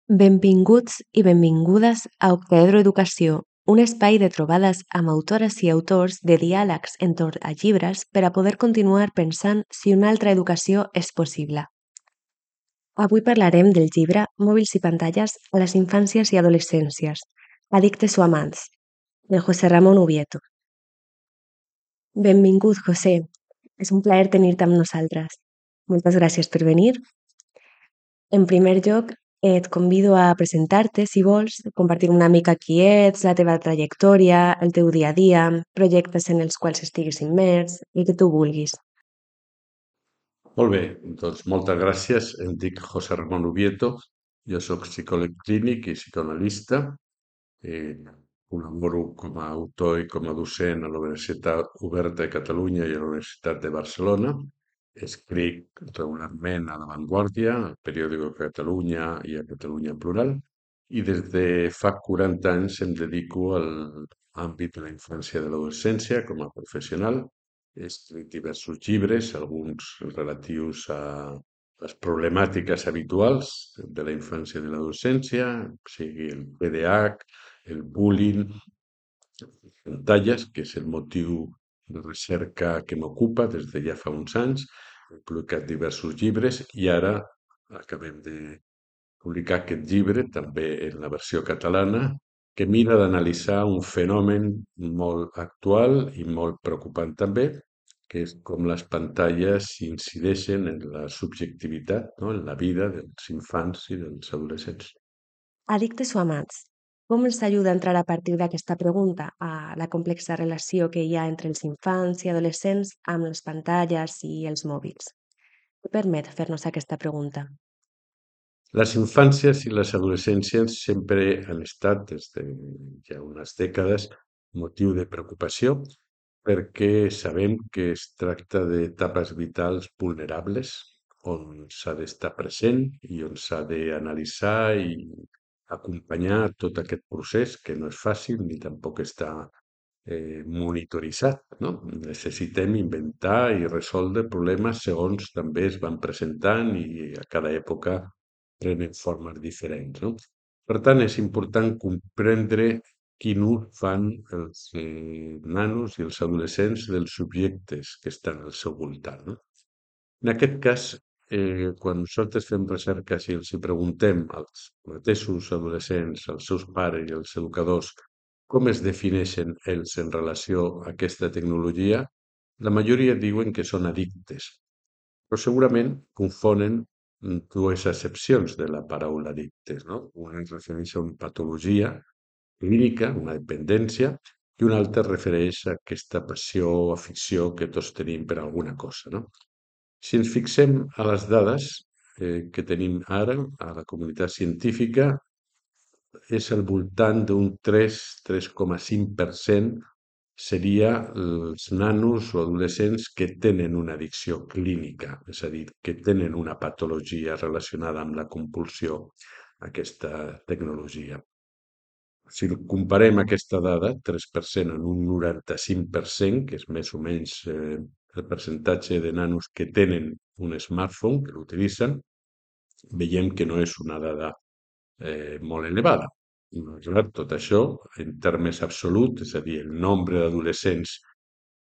Benvinguts i benvingudes a Octaedro Educació, un espai de trobades amb autores i autors de diàlegs entorn a llibres per a poder continuar pensant si una altra educació és possible. Avui parlarem del llibre Mòbils i pantalles a les infàncies i adolescències, addictes o amants, de José Ramón Ubieto. Benvingut, José. És un plaer tenir-te amb nosaltres. Moltes gràcies per venir. En primer lloc, et convido a presentar-te, si vols, compartir una mica qui ets, la teva trajectòria, el teu dia a dia, projectes en els quals estiguis immers, el que tu vulguis. Molt bé, doncs moltes gràcies. Em dic José Ramón Ubieto, jo sóc psicòleg clínic i psicoanalista. Col·laboro com a autor i com a docent a la Universitat Oberta de Catalunya i a la Universitat de Barcelona. Escric regularment a La Vanguardia, al Periòdico de Catalunya i a Catalunya Plural. I des de fa 40 anys em dedico a l'àmbit de la infància i de l'adolescència com a professional. He escrit diversos llibres, alguns relatius a les problemàtiques habituals de la infància i de l'adolescència, sigui el TDAH, el bullying, pantalles, que és el motiu de recerca que m'ocupa des de ja fa uns anys. He publicat diversos llibres i ara acabem de publicar aquest llibre, també en la versió catalana, que mira d'analitzar un fenomen molt actual i molt preocupant també, que és com les pantalles incideixen en la subjectivitat, no? En la vida dels infants i dels adolescents. Addictes o amants? Com ens ajuda a entrar a partir d'aquesta pregunta a la complexa relació que hi ha entre els infants i adolescents amb les pantalles i els mòbils? Què permet fer-nos aquesta pregunta? Les infàncies i les adolescències sempre han estat, des de ja unes dècades, motiu de preocupació perquè sabem que es tracta d'etapes vitals vulnerables on s'ha d'estar present i on s'ha d'analitzar i acompanyar tot aquest procés, que no és fàcil ni tampoc està monitoritzat, no? Necessitem inventar i resoldre problemes segons també es van presentant i a cada època prenen formes diferents, no? Per tant, és important comprendre quin ús fan els nanos i els adolescents dels subjectes que estan al seu voltant, no? En aquest cas, quan nosaltres fem recerques i els hi preguntem als mateixos adolescents, als seus pares i als educadors com es defineixen ells en relació a aquesta tecnologia, la majoria diuen que són addictes, però segurament confonen dues accepcions de la paraula addictes, no? Una es refereix a una patologia clínica, una dependència, i una altra es refereix a aquesta passió o afició que tots tenim per alguna cosa, no? Si ens fixem a les dades que tenim ara a la comunitat científica, és al voltant d'un 3,5% seria els nanos o adolescents que tenen una addicció clínica, és a dir, que tenen una patologia relacionada amb la compulsió a aquesta tecnologia. Si comparem aquesta dada, 3% en un 95%, que és més o menys el percentatge de nanos que tenen un smartphone, que l'utilitzen, veiem que no és una dada molt elevada. Malgrat tot això, en termes absoluts, és a dir, el nombre d'adolescents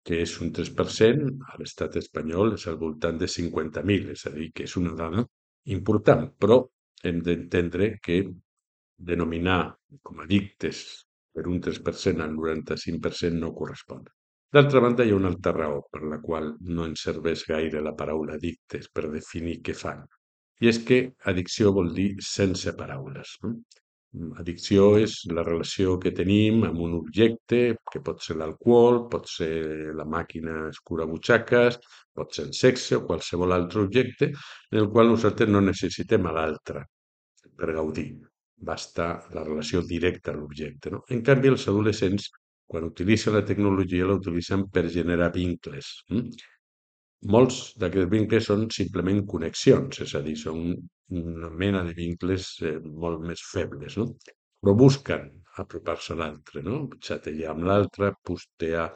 que és un 3%, a l'estat espanyol és al voltant de 50.000, és a dir, que és una dada important, però hem d'entendre que denominar com a addictes per un 3% al 95% no correspon. D'altra banda, hi ha una altra raó per la qual no ens serveix gaire la paraula addictes per definir què fan. I és que addicció vol dir sense paraules. No? Addicció és la relació que tenim amb un objecte, que pot ser l'alcohol, pot ser la màquina escurabutxaques, pot ser el sexe o qualsevol altre objecte, en el qual nosaltres no necessitem a l'altre per gaudir. Basta la relació directa a l'objecte. No? En canvi, els adolescents, quan utilitzen la tecnologia, la utilitzen per generar vincles. Molts d'aquests vincles són simplement connexions, és a dir, són una mena de vincles molt més febles, no? Però busquen apropar-se a l'altre, no? Xatejar amb l'altre, postejar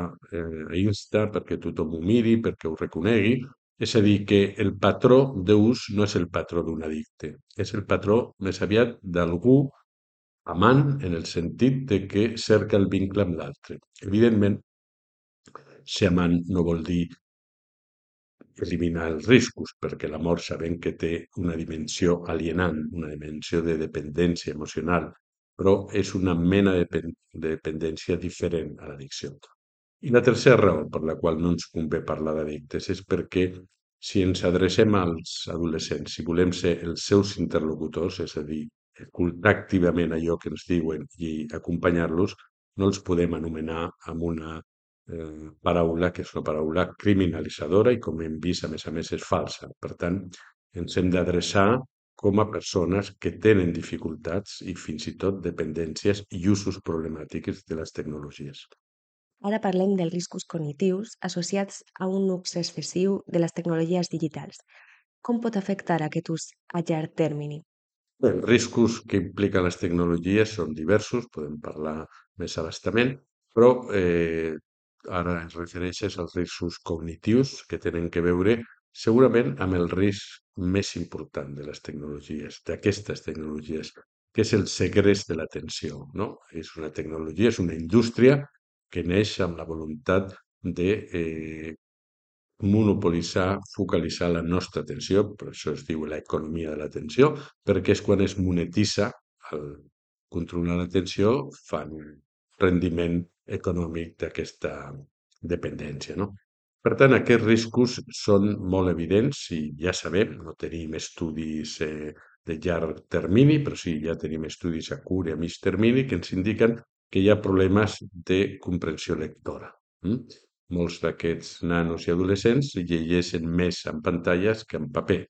a Insta perquè tothom ho miri, perquè ho reconegui, És a dir, que el patró d'ús no és el patró d'un addicte, és el patró més aviat d'algú amant en el sentit de que cerca el vincle amb l'altre. Evidentment, ser amant no vol dir eliminar els riscos, perquè l'amor sabem que té una dimensió alienant, una dimensió de dependència emocional, però és una mena de dependència diferent a l'addicció. I la tercera raó per la qual no ens convé parlar d'addictes és perquè si ens adrecem als adolescents, si volem ser els seus interlocutors, és a dir, escoltar activament allò que ens diuen i acompanyar-los, no els podem anomenar amb una paraula que és una paraula criminalitzadora i, com hem vist, a més, és falsa. Per tant, ens hem d'adreçar com a persones que tenen dificultats i fins i tot dependències i usos problemàtics de les tecnologies. Ara parlem dels riscos cognitius associats a un ús excessiu de les tecnologies digitals. Com pot afectar aquest ús a llarg termini? Bé, els riscos que impliquen les tecnologies són diversos, podem parlar més a bastament, però ara es refereixes als riscos cognitius que tenen que veure segurament amb el risc més important de les tecnologies, d'aquestes tecnologies, que és el segrest de l'atenció, no? És una tecnologia, és una indústria que neix amb la voluntat de monopolitzar, focalitzar la nostra atenció, per això es diu l'economia de l'atenció, perquè és quan es monetitza el controlar l'atenció, fan rendiment econòmic d'aquesta dependència, no? Per tant, aquests riscos són molt evidents i ja sabem, no tenim estudis de llarg termini, però sí, ja tenim estudis a curt i a mig termini que ens indiquen que hi ha problemes de comprensió lectora. Mm? Molts d'aquests nanos i adolescents llegeixen més en pantalles que en paper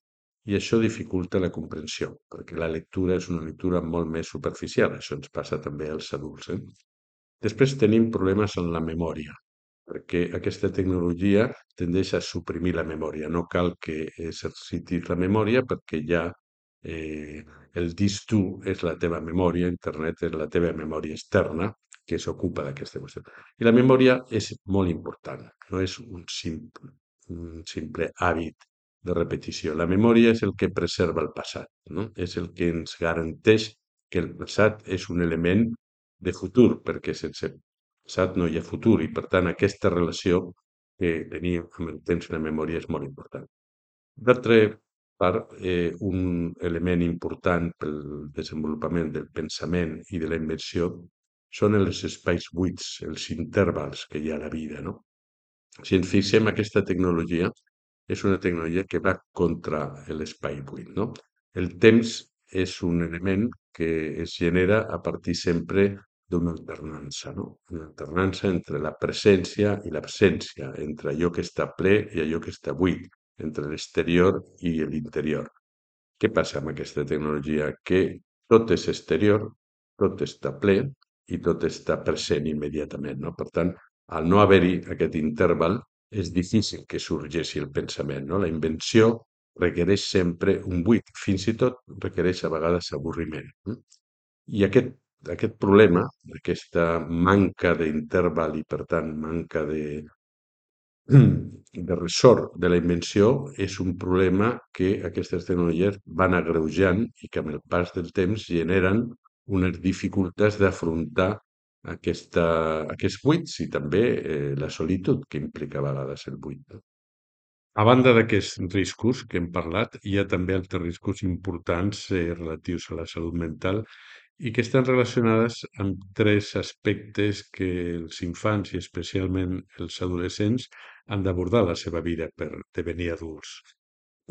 i això dificulta la comprensió, perquè la lectura és una lectura molt més superficial. Això ens passa també als adults. Després tenim problemes en la memòria, perquè aquesta tecnologia tendeix a suprimir la memòria. No cal que exercitis la memòria perquè ja eh, el disc dur és la teva memòria, internet és la teva memòria externa que s'ocupa d'aquesta qüestió. I la memòria és molt important, no és un simple hàbit de repetició. La memòria és el que preserva el passat, no? És el que ens garanteix que el passat és un element de futur, perquè sense passat no hi ha futur i, per tant, aquesta relació que tenim amb el temps i la memòria és molt important. D'altra part, un element important pel desenvolupament del pensament i de la invenció són els espais buits, els intervals que hi ha a la vida, no? Si ens fixem, aquesta tecnologia és una tecnologia que va contra l'espai buit, no? El temps és un element que es genera a partir sempre d'una alternança, no? Una alternança entre la presència i l'absència, entre allò que està ple i allò que està buit, entre l'exterior i l'interior. Què passa amb aquesta tecnologia? Que tot és exterior, tot està ple i tot està present immediatament, no? Per tant, al no haver-hi aquest interval, és difícil que sorgeixi el pensament, no? La invenció requereix sempre un buit, fins i tot requereix a vegades avorriment. I aquest problema, aquesta manca d'interval i, per tant, manca de ressort de la invenció és un problema que aquestes tecnologies van agreujant i que amb el pas del temps generen unes dificultats d'afrontar aquests buits i també la solitud que implica a vegades el buit. No? A banda d'aquests riscos que hem parlat, hi ha també altres riscos importants relatius a la salut mental i que estan relacionades amb tres aspectes que els infants i especialment els adolescents han d'abordar a la seva vida per devenir adults.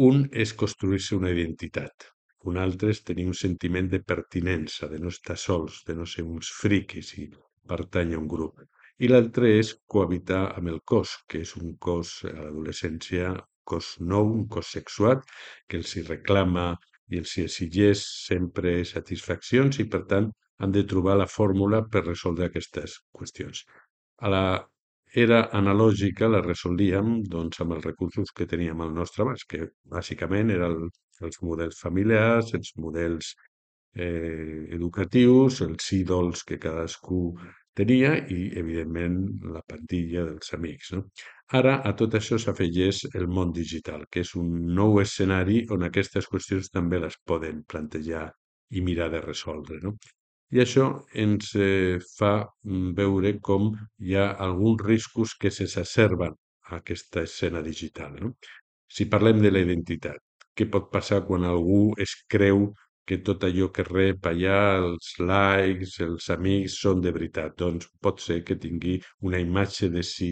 Un és construir-se una identitat. Un altre és tenir un sentiment de pertinença, de no estar sols, de no ser uns friquis i pertànyer a un grup. I l'altre és cohabitar amb el cos, que és un cos a l'adolescència, cos nou, un cos sexuat, que els hi reclama i els hi exigeix sempre satisfaccions i, per tant, han de trobar la fórmula per resoldre aquestes qüestions. A la era analògica la resolíem doncs, amb els recursos que teníem al nostre abast, que bàsicament eren els models familiars, els models educatius, els ídols que cadascú tenia i, evidentment, la plantilla dels amics, no? Ara a tot això s'afegeix el món digital, que és un nou escenari on aquestes qüestions també les poden plantejar i mirar de resoldre, no? I això ens fa veure com hi ha alguns riscos que s'exacerben a aquesta escena digital, no? Si parlem de la identitat, què pot passar quan algú es creu que tot allò que rep allà, els likes, els amics, són de veritat? Doncs pot ser que tingui una imatge de si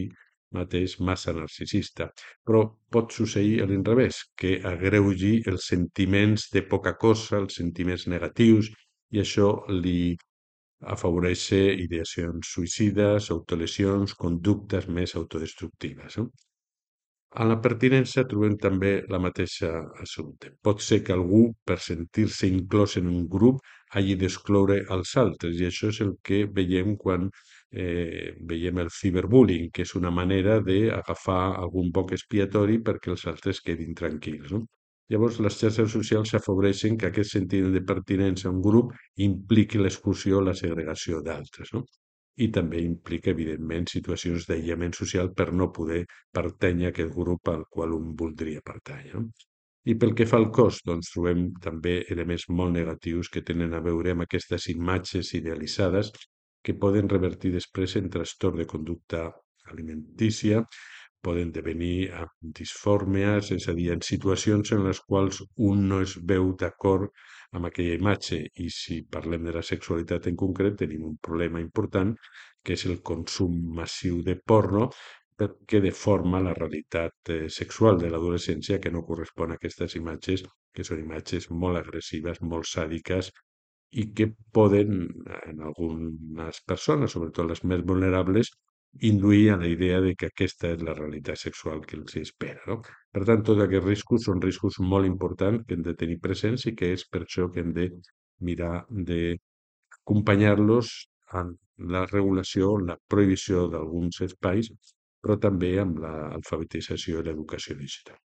mateix massa narcisista. Però pot succeir a l'inrevés, que agreugi els sentiments de poca cosa, els sentiments negatius, i això li afavoreix ideacions suïcides, autolesions, conductes més autodestructives. No? A la pertinença trobem també la mateixa assumpte. Pot ser que algú, per sentir-se inclòs en un grup, hagi d'excloure els altres, i això és el que veiem quan veiem el ciberbullying, que és una manera d'agafar algun boc expiatori perquè els altres quedin tranquils. No? Llavors, les xarxes socials afavoreixen que aquest sentiment de pertinença a un grup impliqui l'exclusió o la segregació d'altres. No? I també implica, evidentment, situacions d'aïllament social per no poder pertànyer a aquest grup al qual un voldria pertànyer. No? I pel que fa al cos, doncs trobem també elements molt negatius que tenen a veure amb aquestes imatges idealitzades que poden revertir després en trastorn de conducta alimentícia, poden devenir disfòrmies, és a dir, en situacions en les quals un no es veu d'acord amb aquella imatge. I si parlem de la sexualitat en concret, tenim un problema important, que és el consum massiu de porno, perquè deforma la realitat sexual de l'adolescència que no correspon a aquestes imatges, que són imatges molt agressives, molt sàdiques, i que poden, en algunes persones, sobretot les més vulnerables, induir a la idea de que aquesta és la realitat sexual que els espera. No? Per tant, tots aquests riscos són riscos molt importants que hem de tenir presents i que és per això que hem de mirar d'acompanyar-los en la regulació, en la prohibició d'alguns espais, però també amb l'alfabetització i l'educació digital.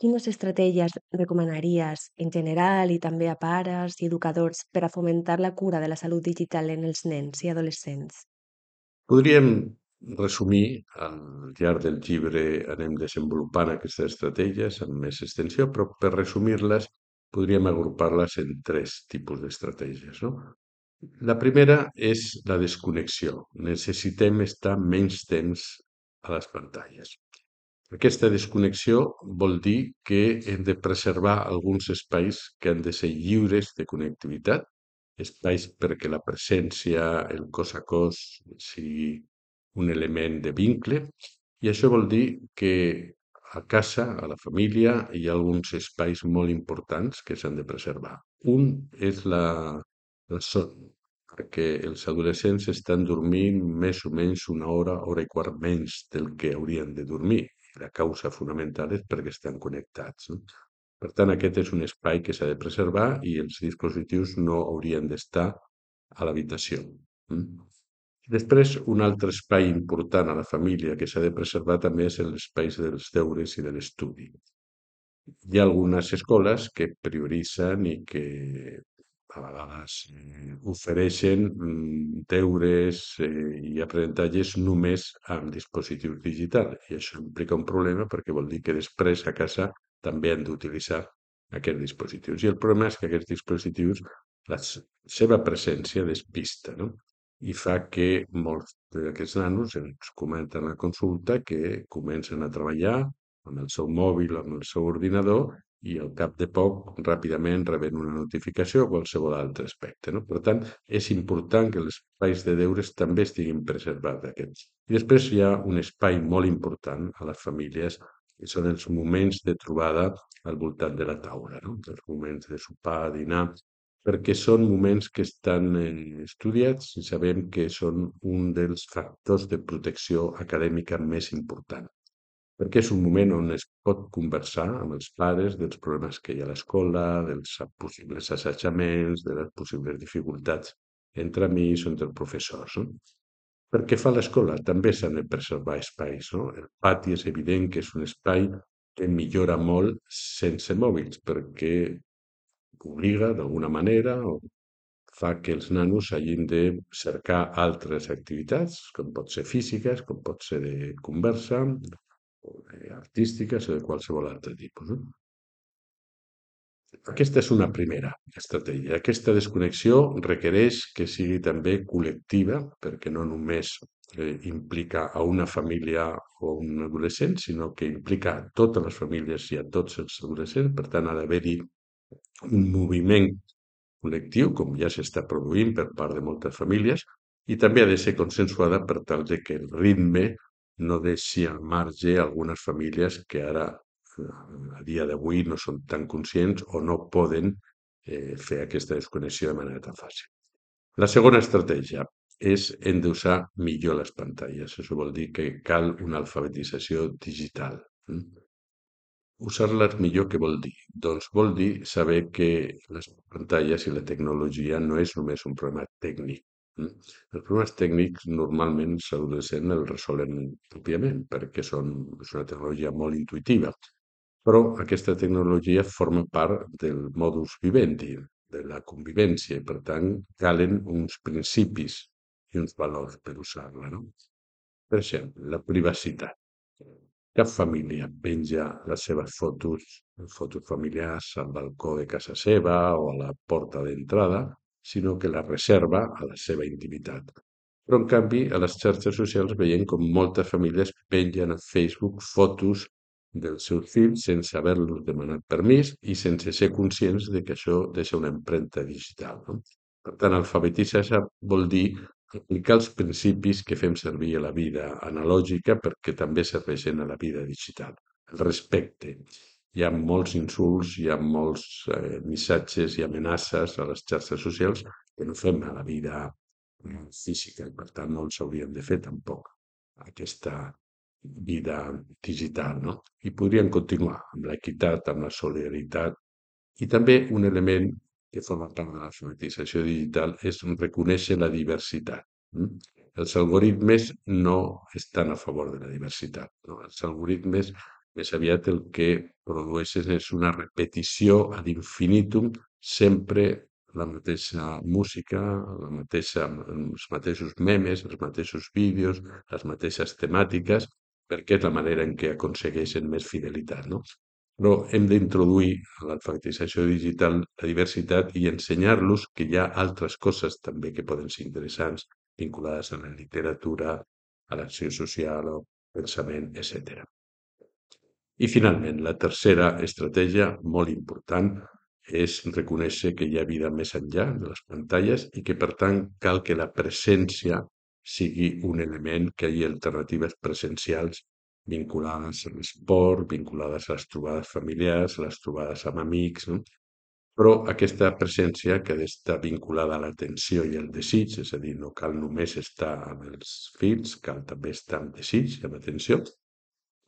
Quines estratègies recomanaries en general i també a pares i educadors per a fomentar la cura de la salut digital en els nens i adolescents? Podríem resumir, al llarg del llibre anem desenvolupant aquestes estratègies amb més extensió, però per resumir-les podríem agrupar-les en tres tipus d'estratègies. No? La primera és la desconnexió. Necessitem estar menys temps a les pantalles. Aquesta desconnexió vol dir que hem de preservar alguns espais que han de ser lliures de connectivitat, espais perquè la presència, el cos a cos, sigui un element de vincle, i això vol dir que a casa, a la família, hi ha alguns espais molt importants que s'han de preservar. Un és el son, perquè els adolescents estan dormint més o menys una hora, hora i quart menys del que haurien de dormir. La causa fonamental és perquè estan connectats. No? Per tant, aquest és un espai que s'ha de preservar i els dispositius no haurien d'estar a l'habitació. Després, un altre espai important a la família que s'ha de preservar també és l'espai dels deures i de l'estudi. Hi ha algunes escoles que prioritzen i que a vegades ofereixen deures i aprenentatges només amb dispositius digitals. I això implica un problema perquè vol dir que després a casa també han d'utilitzar aquests dispositius. I el problema és que aquests dispositius, la seva presència despista, no? I fa que molts d'aquests nanos ens comenten a la consulta que comencen a treballar amb el seu mòbil, amb el seu ordinador, i al cap de poc ràpidament reben una notificació o qualsevol altre aspecte. No? Per tant, és important que els espais de deures també estiguin preservats aquests. I després hi ha un espai molt important a les famílies, que són els moments de trobada al voltant de la taula, no? Els moments de sopar, dinar, perquè són moments que estan estudiats i sabem que són un dels factors de protecció acadèmica més important perquè és un moment on es pot conversar amb els pares dels problemes que hi ha a l'escola, dels possibles assetjaments, de les possibles dificultats entre amics o entre professors. No? Per què fa l'escola? També s'han de preservar espais. No? El pati és evident que és un espai que millora molt sense mòbils, perquè obliga d'alguna manera o fa que els nanos hagin de cercar altres activitats, com pot ser físiques, com pot ser de conversa, o artístiques o de qualsevol altre tipus. No? Aquesta és una primera estratègia. Aquesta desconnexió requereix que sigui també col·lectiva, perquè no només implica a una família o un adolescent, sinó que implica a totes les famílies i a tots els adolescents. Per tant, ha d'haver-hi un moviment col·lectiu, com ja s'està produint per part de moltes famílies, i també ha de ser consensuada per tal de que el ritme no deixi al marge algunes famílies que ara, a dia d'avui, no són tan conscients o no poden fer aquesta desconnexió de manera tan fàcil. La segona estratègia és endeusar millor les pantalles. Això vol dir que cal una alfabetització digital. Usar-les millor, què vol dir? Doncs vol dir saber que les pantalles i la tecnologia no és només un problema tècnic. Els problemes tècnics normalment els adolescents els resolen òbviament perquè és una tecnologia molt intuïtiva, però aquesta tecnologia forma part del modus vivendi, de la convivència, i per tant calen uns principis i uns valors per usar-la, no? Per exemple, la privacitat. Cap família penja les seves fotos familiars al balcó de casa seva o a la porta d'entrada, sinó que les reserva a la seva intimitat. Però, en canvi, a les xarxes socials veiem com moltes famílies pengen a Facebook fotos dels seus fills sense haver-los demanat permís i sense ser conscients de que això deixa una empremta digital. No? Per tant, alfabetitzar vol dir aplicar els principis que fem servir a la vida analògica perquè també serveixen a la vida digital. El respecte. Hi ha molts insults, hi ha molts missatges i amenaces a les xarxes socials que no fem a la vida física i per tant no els hauríem de fer tampoc aquesta vida digital. No? I podríem continuar amb l'equitat, amb la solidaritat i també un element que forma part de l'alfabetització digital és reconèixer la diversitat. Els algoritmes no estan a favor de la diversitat. No? Els algoritmes més aviat el que produeixen és una repetició ad infinitum, sempre la mateixa música, els mateixos memes, els mateixos vídeos, les mateixes temàtiques, perquè és la manera en què aconsegueixen més fidelitat. No? Però hem d'introduir a l'alfabetització digital la diversitat i ensenyar-los que hi ha altres coses també que poden ser interessants vinculades a la literatura, a l'acció social, al pensament, etc. I finalment, la tercera estratègia, molt important, és reconèixer que hi ha vida més enllà de les pantalles i que, per tant, cal que la presència sigui un element, que hi hagi alternatives presencials vinculades a l'esport, vinculades a les trobades familiars, a les trobades amb amics, no? Però aquesta presència que ha d'estar vinculada a l'atenció i al desig, és a dir, no cal només estar amb els fills, cal també estar amb desig i amb atenció,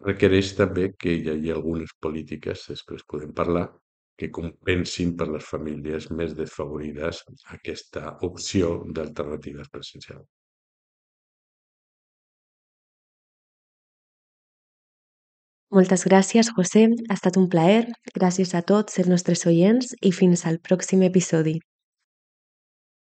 requereix també que hi hagi algunes polítiques, després podem parlar, que compensin per les famílies més desfavorides aquesta opció d'alternatives presencials. Moltes gràcies, José. Ha estat un plaer. Gràcies a tots els nostres oients i fins al pròxim episodi.